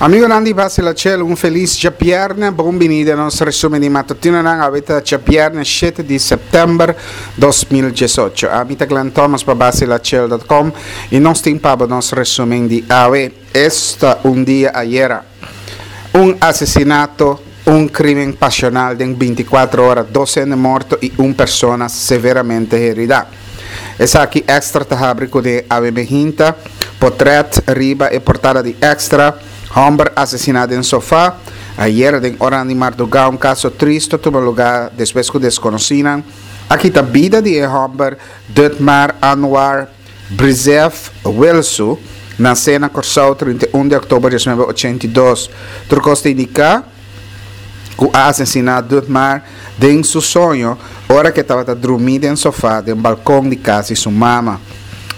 Amigonan di Basila Chel, un felis djabièrnè. Bon bini den nos resumen di matutinonan. Awe ta djabièrnè shete di sèptèmber 2018. Ami ta Glenn Thomas pa basilachel.com i nos tin pa bo nos resumen di awe. Esta un dia ayera. Un asesinato, un krimen pasional den bintikuater ora, dos hende morto i un persona severamente herida. Esaki Extra ta habri ku den awe mehinta, Potret riba e portada di Extra, Homber asesina den sofa, Ayera den oranan di marduga un kaso tristo a tuma luga despues ku deskonosínan a kita bida di e homber Dutmar Anwar Brizev Wilsu, nasé na Kòrsou 31 di òktober 1982. Tur kos ta indiká ku a asesiná Dutmar den su soño ora ku e tabata drumí den sofá den balkon di kas di su mama.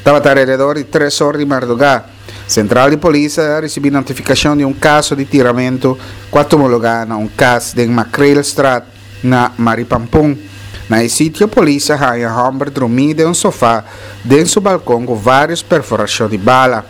Tabata alrededor di tres or di mardugá. Sentral di polis a risibí notifikashon di un kaso di tiramentu ku a tuma lugá na un kas den Makreelstraat na Maripampun. Na e sitio polis a haña hòmber drumí den un sofá den su balkon ku vários perforashon di bala.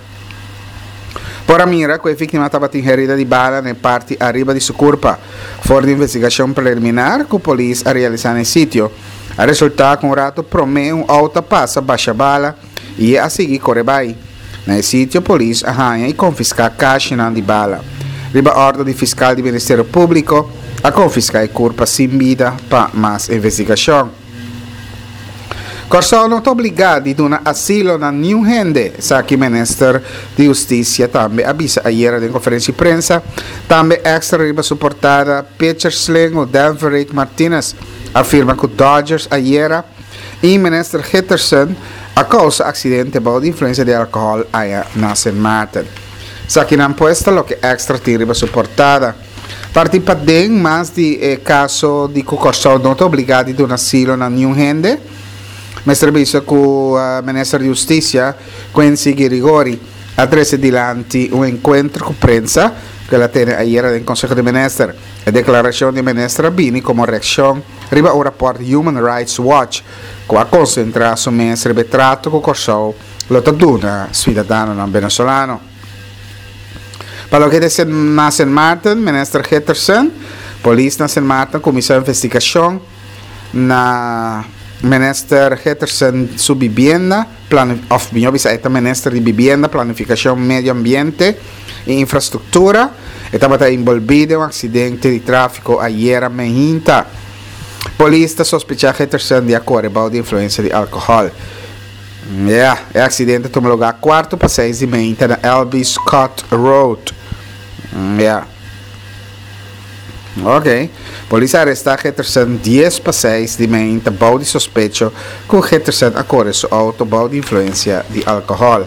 Por a mira ku e víktima tabatin herida di bala na e parti ariba di su kurpa. For di investigashon preliminar ku polis a realisá na e sitio, a resultá ku un ratu promé un outo a pasa basha bala i e a sigui kore bai. Na e sitio polis a haña i konfiská kashinan di bala. Riba òrdu di fiskal di Ministerio Públiko a konfiská e kurpa sin bida pa mas investigashon. Kòrsou no ta obligá di duna asilo na niun hende, esaki minister di Hustisia tambe a bisa ayera den konferensia di prensa. Tambe Extra riba su portada pitcher slengo Denverick Martinez a firma ku Dodgers ayera i minister Gitterson a kousa aksidente bou di influensia di alkohòl aya na Sint Maarten. Esakinan pues ta loke Extra tin riba su portada. Parti paden mas di e kaso di ku Kòrsou no ta obligá di duna asilo na niun hende, mester bisa ku Minister di Hustisia, Quincy Girigori, a trese dilanti un enkuentro ku prensa ku el a tene ayera den Konseho di Minister. E deklarashon di e minister a bini komo reakshon riba un rapòrt di Human Rights Watch ku a konsentrá su mes riba e trato ku Kòrsou lo ta duna siudadanonan venezolano. Pa loke ta na Sint Maarten, Minister Gitterson, polis na Sint Maarten kuminsá investigashon na Minister Gitterson su bibienda, òf mihó bisa e ta Minister di Bibienda, Planifikashon, Medio Ambiente i Infrastruktura. E tabata enbolbí den un aksidente di tráfiko ayera meinta. Polis ta sospechá Gitterson di a kore bou di influensia di alkohòl. Ya, e aksidente a tuma lugá kuarto pa seis di meinta na LB Scott Road. Ya. Ok. Polis a arestá Gitterson dies pa seis di meinta bou di sospecho ku Gitterson a kore su outo bou di influensia di alkohòl.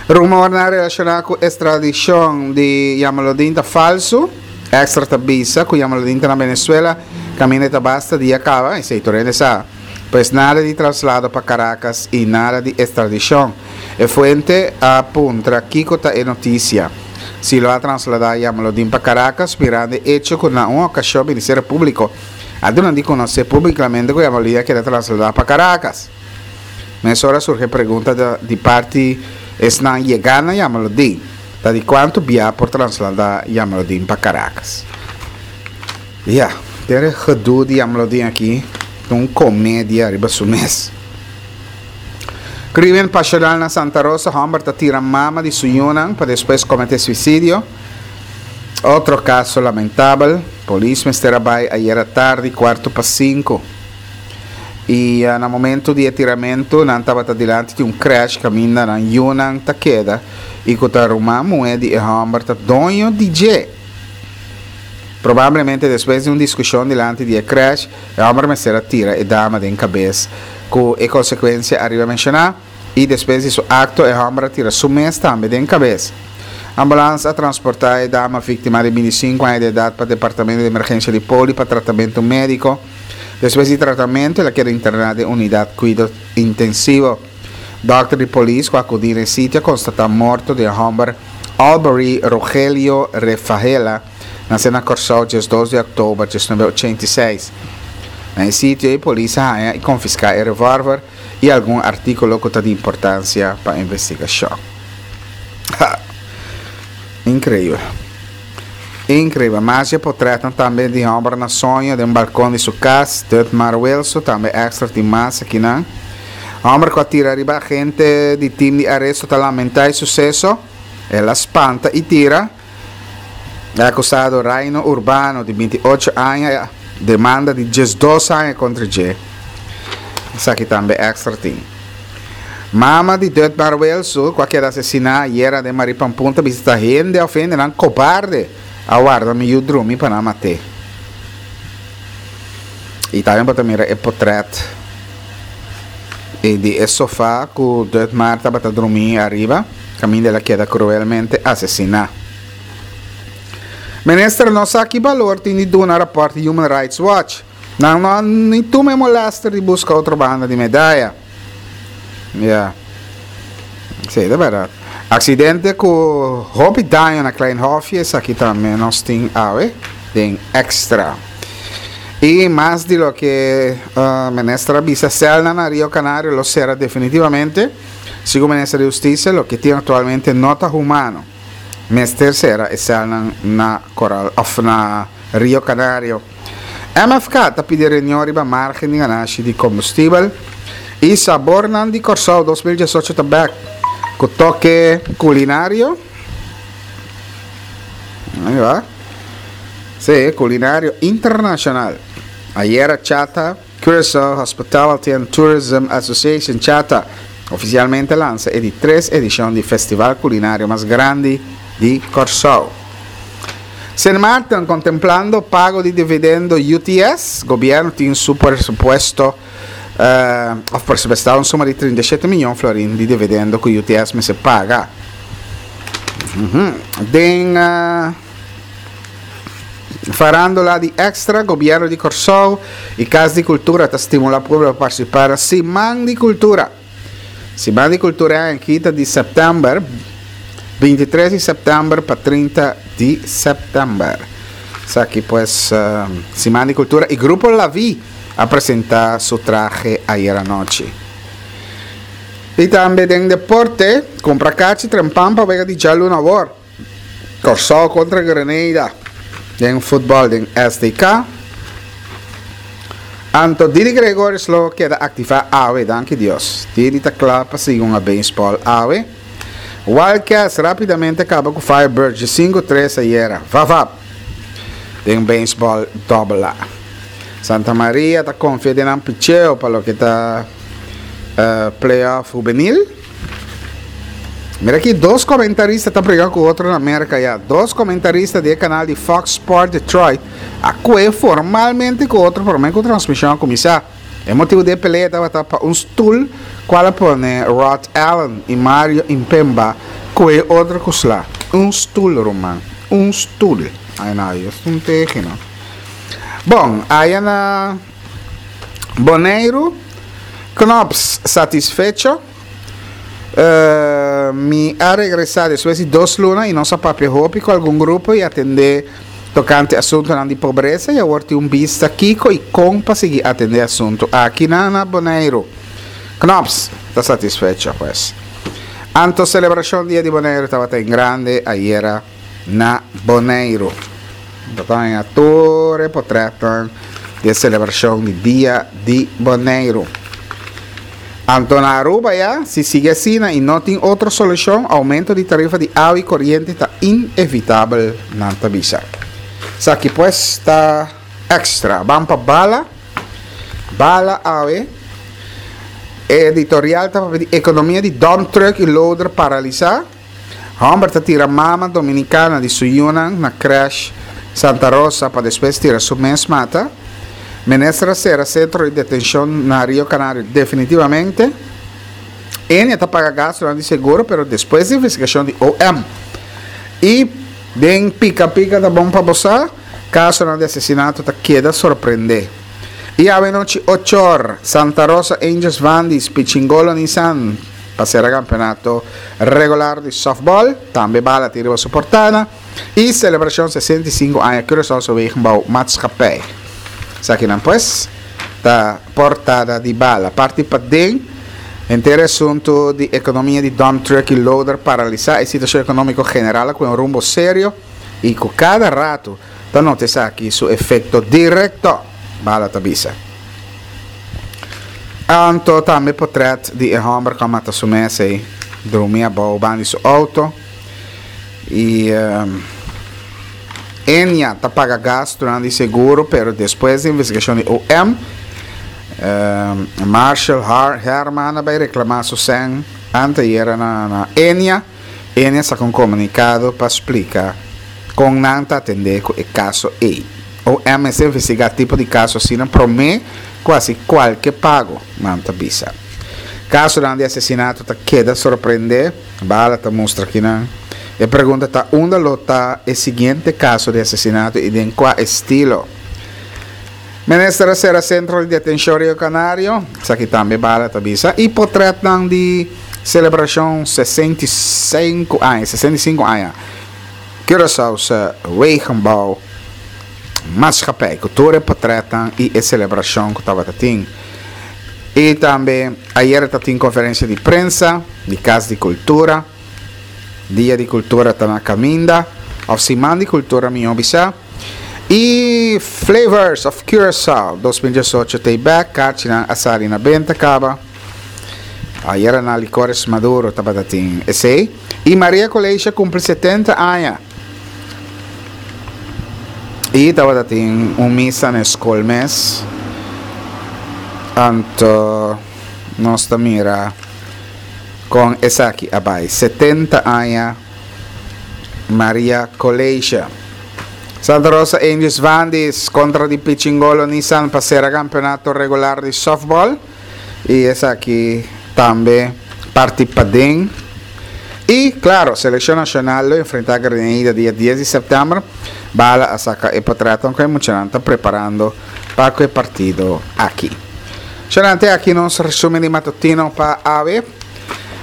Rumornan relashoná ku estradishon di Jamaludin ta falsu. Extra ta bisa ku Jamaludin ta na Venezuela kaminda e ta basta dia kaba, esei tur hende sa. Pues nada di traslado pa Caracas y nada di extradicion. E fuente a puntra kico ta e noticia. Si lo a traslada Jamaludin pa Caracas mirando e hecho cu na un ocasion Ministerio Publico a duna di conoce publicamente cu Jamaludin a keda traslada pa Caracas. Mesora a surgi e pregunta di parti esnan yega na Jamaludin, ta di cuanto bia por traslada Jamaludin pa Caracas? Ya, ter e gedoe di Amlodin aki ta un comedia riba su mes. Crimen pasional na Santa Rosa, homber ta tira mama di su yunan pa despues comete suicidio. Otro caso lamentabel, polis mester a bay ayera tardi cuarto pa cinco. Y na momento di e tiramento nan tabata dilanti di un crash caminda nan yunan ta keda y cu ta ruman muhe di e homber ta doño di dje. Probablemente despues di un diskushon dilanti di e krèsh, e hòmber mester a tira e dama den kabes ku e konsekuensia ariba menshoná, i despues di su akto e hòmber a tira su mes tambe den kabes. Ambulans a transportá e dama víktima di 25 aña di edat pa departamento di emergensia di poli pa tratamentu médiko. Despues di tratamentu el a keda interná den unidat kuido intensivo. Dòkter di polis ku akudí na e sitio a konstatá morto di e hòmber Albury Rogelio Refaela, nase na Kòrsou 12 di òktober 1986. Na e sitio ei polis a haña i konfiská e revòlver i algun artíkulo ku ta di importansia pa investigashon. Ha! Inkreibel. Inkreibel. Mas dje potretnan tambe di homber na soño den balkon di su kas, Dutmar Wilson, tambe Extra tin mas akinan. Homber ku a tira riba agente di tim di aresto ta lamentá e suseso. El a spanta i tira. E akusado Raino Urbano di 28 aña demanda di 12 aña kontra dje. Esaki tambe Extra tin. Mama di Dutmar Wilson ku a keda asesiná ayera den Maripampunta ta bisa ta hende òf hendenan kobarde a warda mi yu drumi pa nan mat'é. I tambe bo ta mira e potrèt di e sofá ku Dutmar tabata drumí ariba kaminda el a keda kruelmente asesiná. Minister no sa ki balor tin di duna rapòrt di Human Rights Watch. Nan no a ni tuma e molester di buska otro banda di medaya. Ya. Sí, ta bèrdat. Aksidente ku hopi daño na Klein Hofje, esaki tambe nos tin awe den Extra. I mas di loke minister a bisa, sèlnan na Rio Canario lo sera definitivamente. Segun minister di Hustisia, loke tin aktualmente no ta humano. Mester sera e sèlnan na Koral òf na Rio Canario. MFK ta pidi reunion riba margen di ganashi di kombustibel i Sabornan di Kòrsou 2018 ta bèk ku toke kulinario. Ahí va. Sí, kulinario internashonal. Ayera Chata, Curaçao Hospitality and Tourism Association, Chata, ofisialmente lansa e di tres edishon di festival kulinario mas grandi di Kòrsou. Sint Maarten, kontemplando pago di dividendo UTS, gobièrnu tin su presupuesto òf presupuestá un suma di 37 miyon florin di dividendo ku UTS mester paga. Den farándula di Extra, gobièrnu di Kòrsou i Kas di Kultura ta stimulá pueblo pa partisipá na Siman di Kultura. Siman di Kultura e aña aki ta di sèptèmber, 23 di sèptèmber pa 30 di sèptèmber. Esaki pues Siman di Kultura i Grupo La Vi a presentá su trahe ayera nochi. I tambe den deporte, kumpra kachi trempan pa wega di djaluna awor. Kòrsou kontra Grenada den futbòl den SDK. Anto Didi Gregorius lo keda aktivá awe, danki Dios. Didi ta kla pa sigui hunga beisbòl awe. Wildcats rápidamente kaba ku Firebirds di 5-3 ayera. Vavap! Den beisbòl dòbel A. Santa Maria ta konfia den nan picheo pa loke ta playoff hubenil. Mira aki dos comentarista ta briga cu otro na Merca ya. Dos comentarista di e canal di Fox Sport Detroit a cue formalmente cu otro prome cu transmision a cuminsa. E motibo di e pelea tabata pa un stoel cual a pone Rod Allen y Mario Impemba cue otro cu sla. Un stoel ruman. Un stoel. Ay no, es un teji no. Bon, aya na Boneiru, Knops satisfecho. Mi a regresá despues di dos luna i nos a papia hopi ku algun grupo i atendé tokante asuntunan di pobresa i awor tin un bista kiko i kon pa sigui atendé asuntu aki na na Boneiru. Knops ta satisfecho pues. Anto selebrashon Dia di Boneiru tabata en grande ayera na Boneiru. Bo ta haña tur e potretnan di e selebrashon di Dia di Boneiru. Anto na Aruba ya, si sigui asina i no tin otro solushon, oumento di tarifa di awa i koriente ta inevitabel, nan ta bisa. Esaki pues ta extra. Ban pa bala. Bala awe. E editorial ta papia di ekonomia di dump truck i loader paralisá. Homber ta tira mama dominicana di su yunan na crèche Santa Rosa pa despues tira su mes mata. Minister a sera centro di detencion na Rio Canario definitivamente. Enia ta paga gastonan di seguro pero despues di investigacion di OM. Y den pica pica ta bon pa bo sa, casonan di asesinato ta keda sorprende. Y awe nochi ochor, Santa Rosa Angels Vandis Pichingolo Nissan. Pa sera campeonato regular di softball, tambe bala tin riba su portada y celebracion 65 aña Curaçaose Wegenbouw Maatschappij. Esakinan pues ta portada di bala. Parti paden, henter e asunto di economia di dump truck y loader paralisa e situacion economico general a cu un rumbo serio. i ku kada ratu ta nota esaki su efekto direkto, Bala ta bisa. Anto tambe potrèt di e hòmber ku a mata su mes ei drumi abou banda di su outo i Enya ta paga gastunan di seguro pero despues di investigashon di OM Marshall Herman a bai reklamá su sèn anteayera na Enya. Enya saka un komunikado pa splika kon nan ta atendé ku e kaso ei. OM mester investigá tipo di kaso asina promé ku hasi kualke pago, nan ta bisa. Kasonan di asesinato ta keda sorprendé, Bala ta mustra kinan. E pregunta ta unda lo ta e siguiente kaso di asesinato i den kua estilo. Minister a sera sentro di detenshon Rio Canario, esaki tambe Bala ta bisa, i potretnan di selebrashon 65 aña, 65 aña, Curaçaose Wegenbouw Maatschappij, ku tur e potretnan i e selebrashon ku tabata tin. I tambe ayera ta tin konferensia di prensa di Kas di Kultura. Dia di Kultura ta na kaminda, òf Siman di Kultura mihó bisá. I Flavors of Curaçao 2018 ta ei bèk, karchinan a sali na benta kaba. Ayera na Licores Maduro tabata tin esei. I Maria Coleisha kumpli 70 aña. I tabata tin un misa na e skol mes. Anto nos ta mira kon esaki a bai. 70 aña Maria Coleisha. Santa Rosa Angels Vandis kontra di Pichingolo Nissan pa sera kampeonato regular di softball. I esaki tambe parti paden. I klaro, selekshon nashonal lo enfrentá Grenada dia dies di sèptèmber. Bala a saka e potretnan ku e muchanan ta preparando pa ku e partido aki. Shonante aki nos resumen di matutino pa awe.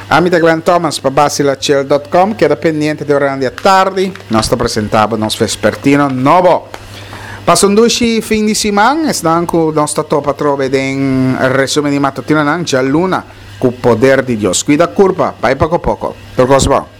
Ami ta Glenn Thomas pa Basilachel dot com. Keda pendiente den oranan di atardi. Nos ta presentá bo nos vespertino nobo. Pasa un dushi fin di siman. Esnan ku nos ta topa atrobe den resumen di matutinonan djaluna ku poder di Dios. Kuida kurpa, bai poko poko. Tur kos bon.